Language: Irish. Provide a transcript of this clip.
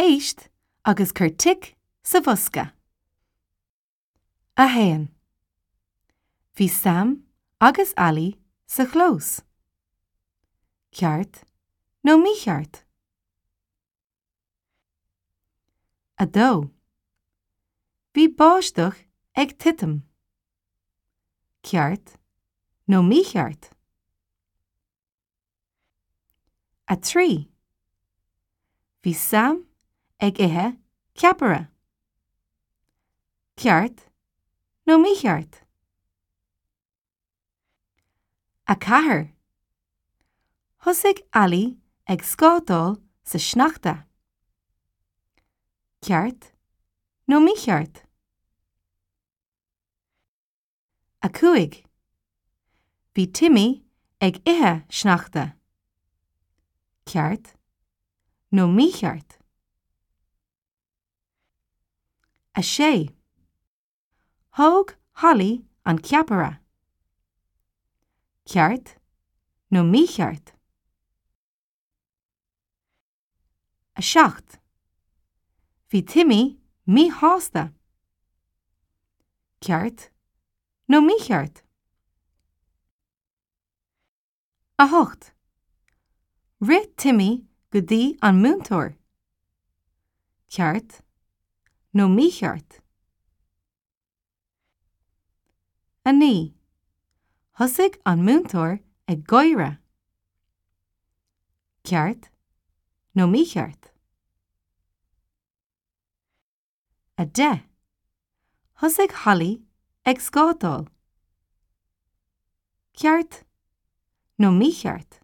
Éist agus cuir tic sa bhosca. 1. Bhí Sam agus Ali sa chlós. Ceart nó mícheart? 2. Bhí báisteach ag titim. Ceart nó mícheart? 3. Bhí Sam ag ithe ceapaire. Ceart nó mícheart? 4. Thosaigh Ali ag scátáil sa sneachta. Ceart nó mícheart? 5. Bhí Timmy ag ithe sneachta. Ceart nó mícheart? 6. Thóg Holly an ceapaire. Ceart nó mícheart? 7. Bhí Timmy míshásta. Ceart nó mícheart? 8. Rith Timmy go dtí an múinteoir. Ceart nó mícheart? 9. Thosaigh an múinteoir ag gáire. Ceart nó mícheart? 10. Thosaigh Holly ag scátáil. Ceart nó mícheart?